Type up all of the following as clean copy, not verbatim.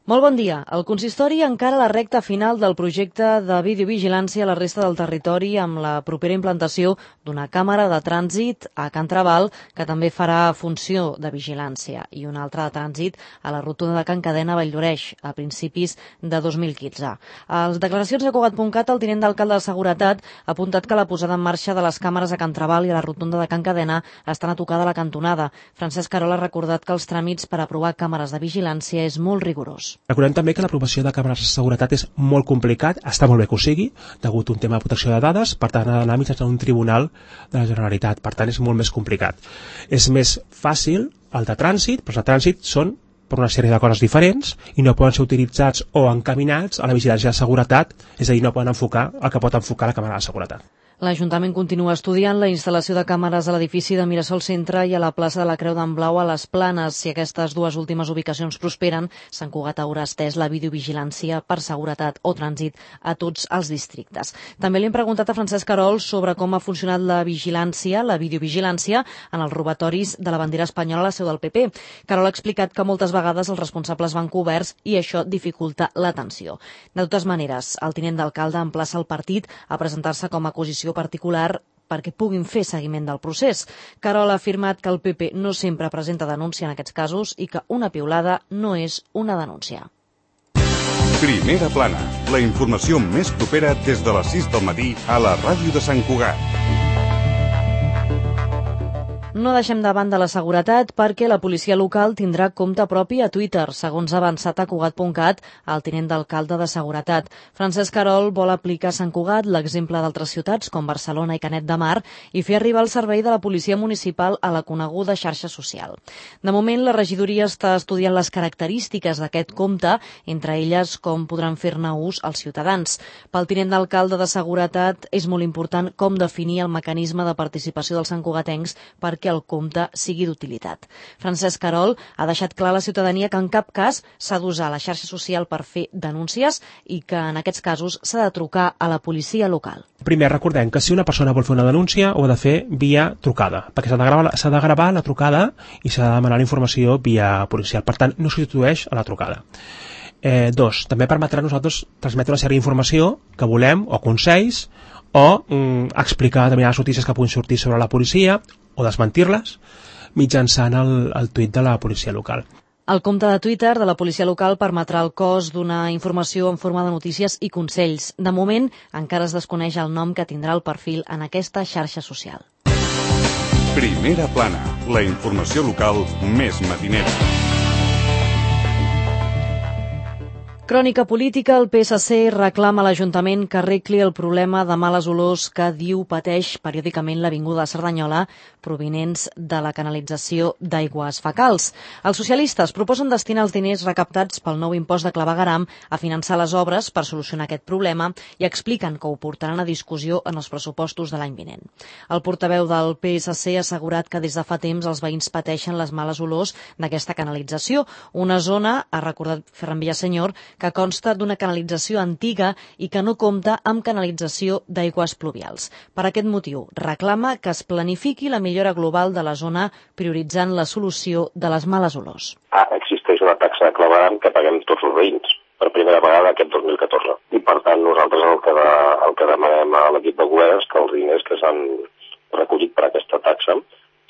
Molt bon dia. El consistori encara la recta final del projecte de videovigilància a la resta del territori amb la propera implantació d'una càmera de trànsit a Can Traval que també farà funció de vigilància i una altra de trànsit a la rotunda de Can Cadena a Valldoreix a principis de 2015. A les declaracions de Cugat.cat, el tinent d'alcalde de Seguretat ha apuntat que la posada en marxa de les càmeres a Can Traval i a la rotunda de Can Cadena estan a tocar de la cantonada. Francesc Carol ha recordat que els tràmits per aprovar càmeres de vigilància és molt rigorós. Recordem també que l'aprovació de càmeres de seguretat és molt complicat, està molt bé que ho sigui, degut a un tema de protecció de dades, per tant ha d'anar mitjançant un tribunal de la Generalitat, per tant és molt més complicat. És més fàcil el de trànsit, però els de trànsit són per una sèrie de coses diferents i no poden ser utilitzats o encaminats a la vigilància de seguretat, és a dir, no poden enfocar el que pot enfocar la càmera de seguretat. L'Ajuntament continua estudiant la instal·lació de càmeres a l'edifici de Mirasol Centre i a la plaça de la Creu d'en Blau a les Planes. Si aquestes dues últimes ubicacions prosperen, Sant Cugat haurà estès la videovigilància per seguretat o trànsit a tots els districtes. També li hem preguntat a Francesc Carol sobre com ha funcionat la vigilància, la videovigilància, en els robatoris de la bandera espanyola a la seu del PP. Carol ha explicat que moltes vegades els responsables van coberts i això dificulta l'atenció. De totes maneres, el tinent d'alcalde emplaça el partit a presentar-se com a acusació particular perquè puguin fer seguiment del procés. Carol ha afirmat que el PP no sempre presenta denúncia en aquests casos i que una piulada no és una denúncia. Primera plana, la informació més propera des de les 6 del matí a la ràdio de Sant Cugat. No deixem de banda la seguretat perquè la policia local tindrà compte propi a Twitter, segons ha avançat a Cugat.cat el tinent d'alcalde de Seguretat. Francesc Carol vol aplicar a Sant Cugat l'exemple d'altres ciutats com Barcelona i Canet de Mar i fer arribar el servei de la policia municipal a la coneguda xarxa social. De moment, la regidoria està estudiant les característiques d'aquest compte, entre elles com podran fer-ne ús els ciutadans. Pel tinent d'alcalde de Seguretat és molt important com definir el mecanisme de participació dels santcugatencs perquè el compte sigui d'utilitat. Francesc Carol ha deixat clar a la ciutadania que en cap cas s'ha d'usar la xarxa social per fer denúncies i que en aquests casos s'ha de trucar a la policia local. Primer, recordem que si una persona vol fer una denúncia ho ha de fer via trucada, perquè s'ha de gravar la trucada i s'ha de demanar la informació via policial. Per tant, no substitueix a la trucada. Dos, també permetrà a nosaltres transmetre una sèrie d'informació que volem, o consells, o explicar determinades notícies que puguin sortir sobre la policia o desmentir-les mitjançant el tuit de la policia local. El compte de Twitter de la policia local permetrà el cos d'una informació en forma de notícies i consells. De moment, encara es desconeix el nom que tindrà el perfil en aquesta xarxa social. Primera plana, la informació local més matinera. Crònica política, el PSC reclama a l'Ajuntament que arregli el problema de males olors que diu pateix periòdicament l'Avinguda de Cerdanyola provinents de la canalització d'aigües fecals. Els socialistes proposen destinar els diners recaptats pel nou impost de clavegueram a finançar les obres per solucionar aquest problema i expliquen que ho portaran a discussió en els pressupostos de l'any vinent. El portaveu del PSC ha assegurat que des de fa temps els veïns pateixen les males olors d'aquesta canalització, una zona, ha recordat Ferran Villasenyor, que consta d'una canalització antiga i que no compta amb canalització d'aigües pluvials. Per aquest motiu, reclama que es planifiqui la millora global de la zona prioritzant la solució de les males olors. Existeix una taxa de clavegueram que paguem tots els veïns per primera vegada aquest 2014. I per tant nosaltres el que demanem a l'equip de govern és que els diners que s'han recollit per aquesta taxa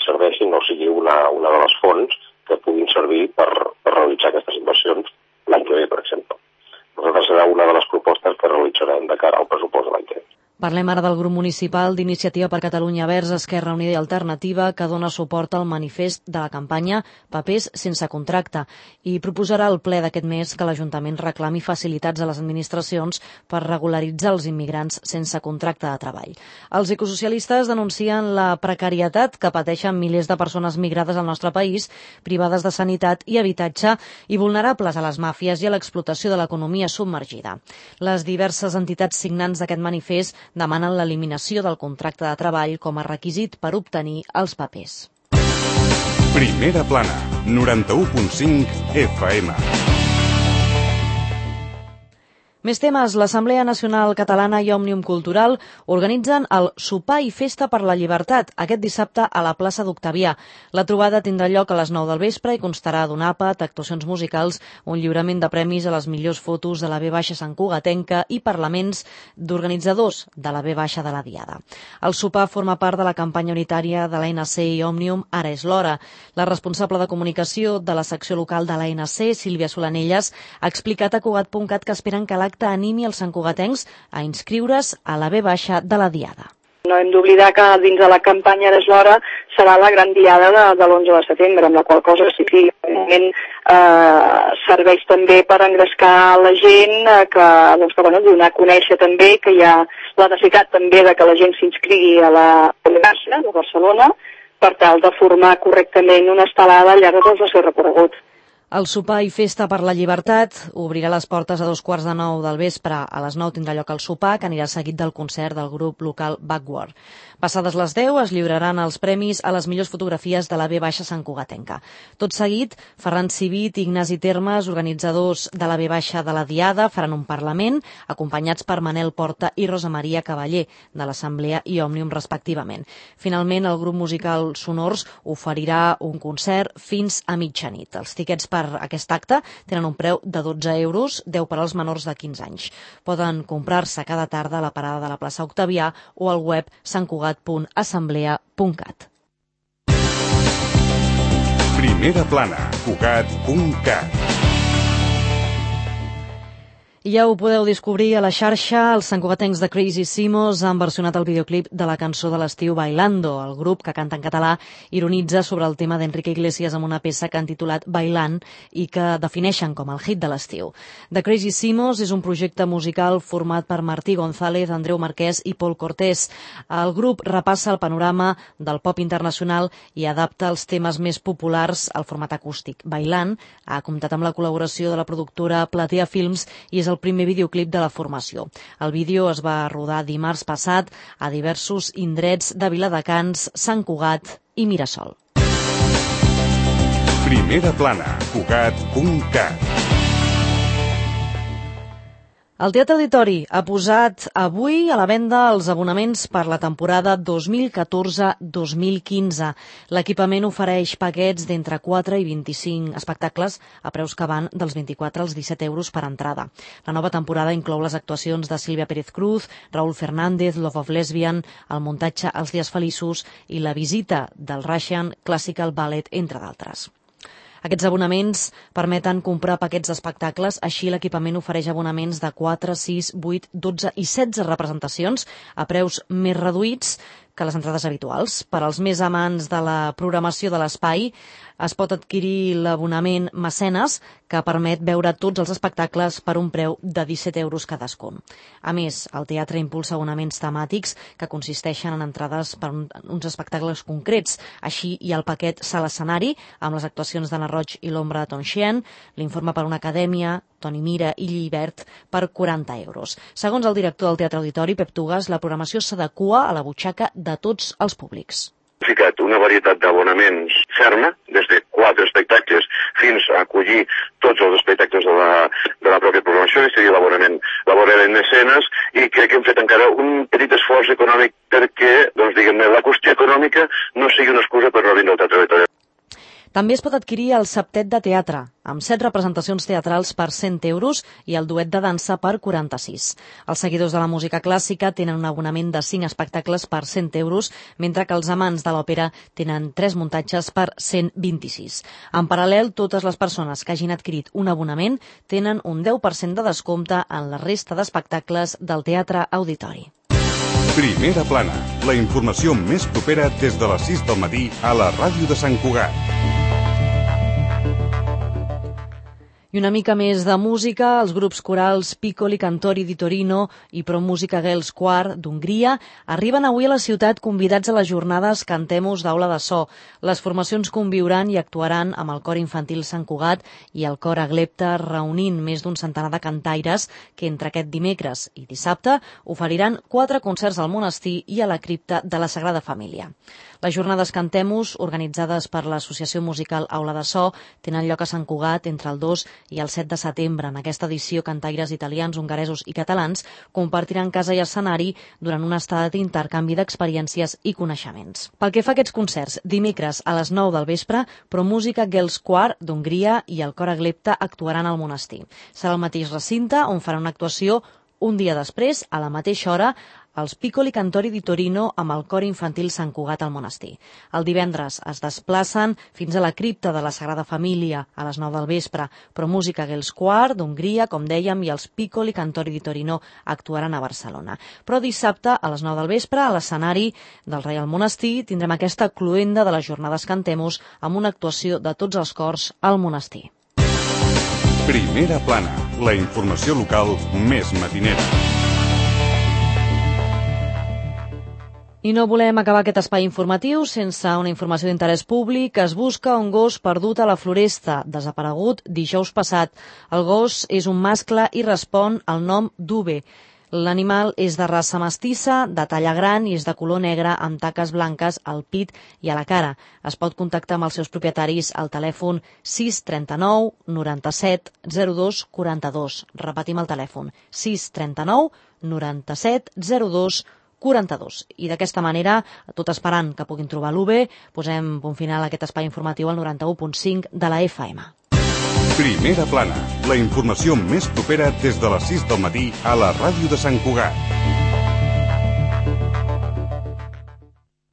serveixin o sigui una de les fonts que puguin servir per realitzar aquestes inversions l'any que ve, per exemple. Nosaltres serà una de les propostes que realitzarem de cara al pressupost de l'any que ve. Parlem ara del grup municipal d'Iniciativa per Catalunya Verds, Esquerra Unida i Alternativa, que dona suport al manifest de la campanya Papers sense contracte i proposarà al ple d'aquest mes que l'Ajuntament reclami facilitats a les administracions per regularitzar els immigrants sense contracte de treball. Els ecosocialistes denuncien la precarietat que pateixen milers de persones migrades al nostre país, privades de sanitat i habitatge i vulnerables a les màfies i a l'explotació de l'economia submergida. Les diverses entitats signants d'aquest manifest demanen l'eliminació del contracte de treball com a requisit per obtenir els papers. Primera plana, 91.5 FM. Més temes. L'Assemblea Nacional Catalana i Òmnium Cultural organitzen el Sopar i Festa per la Llibertat aquest dissabte a la plaça d'Octavià. La trobada tindrà lloc a les 9 del vespre i constarà d'un àpat, actuacions musicals, un lliurament de premis a les millors fotos de la V Sant Cugatenca i parlaments d'organitzadors de la V de la Diada. El sopar forma part de la campanya unitària de l'ANC i Òmnium Ara és l'hora. La responsable de comunicació de la secció local de l'ANC, Sílvia Solanelles, ha explicat a Cugat.cat que esperen que l'acte animi els santcugatencs a inscriure's a la V de la Diada. No hem d'oblidar que dins de la campanya Ara és l'hora serà la gran diada de l'11 de setembre, amb la qual cosa sí que serveix també per engrescar la gent, donar a conèixer també que hi ha la necessitat també de que la gent s'inscrigui a la Universitat de Barcelona per tal de formar correctament una estelada al llarg de tot el seu recorregut. El sopar i festa per la llibertat obrirà les portes a 8:45 del vespre. A les 9 tindrà lloc el sopar, que anirà seguit del concert del grup local Backward. Passades les 10 es lliuraran els premis a les millors fotografies de la V Sant Cugatenca. Tot seguit, Ferran Civit i Ignasi Termes, organitzadors de la V de la Diada, faran un parlament, acompanyats per Manel Porta i Rosa Maria Cavaller, de l'Assemblea i Òmnium respectivament. Finalment, el grup musical Sonors oferirà un concert fins a mitjanit. Els tiquets per aquest acte tenen un preu de 12 euros, 10 per als menors de 15 anys. Poden comprar-se cada tarda a la parada de la plaça Octavià o al web santcugat.assemblea.cat. Primera plana, Cugat.cat. I ja ho podeu descobrir a la xarxa. Els santcugatencs de Crazy Simos han versionat el videoclip de la cançó de l'estiu Bailando. El grup, que canta en català, ironitza sobre el tema d'Enrique Iglesias amb una peça que han titulat Bailant i que defineixen com el hit de l'estiu. The Crazy Simos és un projecte musical format per Martí González, Andreu Marquès i Pol Cortés. El grup repassa el panorama del pop internacional i adapta els temes més populars al format acústic. Bailant ha comptat amb la col·laboració de la productora Platea Films i és el primer videoclip de la formació. El vídeo es va rodar dimarts passat a diversos indrets de Viladecans, Sant Cugat i Mirasol. Primera plana, Cugat.cat. El Teatre Auditori ha posat avui a la venda els abonaments per la temporada 2014-2015. L'equipament ofereix paquets d'entre 4 i 25 espectacles a preus que van dels 24 als 17 euros per entrada. La nova temporada inclou les actuacions de Sílvia Pérez Cruz, Raúl Fernández, Love of Lesbian, el muntatge Els dies feliços i la visita del Russian Classical Ballet, entre d'altres. Aquests abonaments permeten comprar paquets d'espectacles, així l'equipament ofereix abonaments de 4, 6, 8, 12 i 16 representacions a preus més reduïts que les entrades habituals. Per als més amants de la programació de l'espai, es pot adquirir l'abonament Mecenes, que permet veure tots els espectacles per un preu de 17 euros cadascun. A més, el teatre impulsa abonaments temàtics que consisteixen en entrades per uns espectacles concrets. Així hi ha el paquet Sala Escenari, amb les actuacions d'Anna Roig i l'ombra de Tonxien, l'Informe per una acadèmia, Toni Mira i Llibert, per 40 euros. Segons el director del Teatre Auditori, Pep Tugas, la programació s'adequa a la butxaca de tots els públics. Hem ficat una varietat d'abonaments ferma, des de 4 espectacles fins a acollir tots els espectacles de la pròpia programació, que seria l'abonament Mecenes, i crec que hem fet encara un petit esforç econòmic perquè, diguem-ne, la qüestió econòmica no sigui una excusa per no vindre al Teatre Auditori. També es pot adquirir el septet de teatre, amb 7 representacions teatrals per 100 euros i el duet de dansa per 46. Els seguidors de la música clàssica tenen un abonament de 5 espectacles per 100 euros, mentre que els amants de l'òpera tenen 3 muntatges per 126. En paral·lel, totes les persones que hagin adquirit un abonament tenen un 10% de descompte en la resta d'espectacles del Teatre Auditori. Primera plana, la informació més propera des de les 6 del matí a la ràdio de Sant Cugat. I una mica més de música, els grups corals Piccoli Cantori di Torino i Pro Musica Girls Choir d'Hongria arriben avui a la ciutat convidats a les jornades Cantemos d'Aula de So. Les formacions conviuran i actuaran amb el cor infantil Sant Cugat i el cor Aglepta, reunint més d'un centenar de cantaires que entre aquest dimecres i dissabte oferiran 4 concerts al monestir i a la cripta de la Sagrada Família. Les jornades Cantemos, organitzades per l'Associació Musical Aula de So, tenen lloc a Sant Cugat entre el 2 i el 7 de setembre. En aquesta edició, cantaires italians, hongaresos i catalans compartiran casa i escenari durant una estada d'intercanvi d'experiències i coneixements. Pel que fa a aquests concerts, dimecres a les 9 del vespre, ProMusica Girls Choir d'Hongria i el Cor Aglepta actuaran al monestir. Serà el mateix recinte on farà una actuació un dia després, a la mateixa hora, els Piccoli Cantori di Torino amb el Cor Infantil Sant Cugat al monestir. El divendres es desplacen fins a la cripta de la Sagrada Família a les 9 del vespre. ProMusica Girls Choir d'Hongria, com dèiem, i els Piccoli Cantori di Torino actuaran a Barcelona. Però dissabte, a les 9 del vespre, a l'escenari del Reial Monestir, tindrem aquesta cloenda de les jornades Cantemos amb una actuació de tots els cors al monestir. Primera plana, la informació local més matinera. I no volem acabar aquest espai informatiu sense una informació d'interès públic. Es busca un gos perdut a la Floresta, desaparegut dijous passat. El gos és un mascle i respon al nom d'Uve. L'animal és de raça mestissa, de talla gran i és de color negre amb taques blanques al pit i a la cara. Es pot contactar amb els seus propietaris al telèfon 639 97 02 42. Repetim el telèfon 639 97 02 42. I d'aquesta manera, tot esperant que puguin trobar l'UV, posem punt final a aquest espai informatiu al 91.5 de la FM. Primera plana, la informació més propera des de les 6 del matí a la ràdio de Sant Cugat.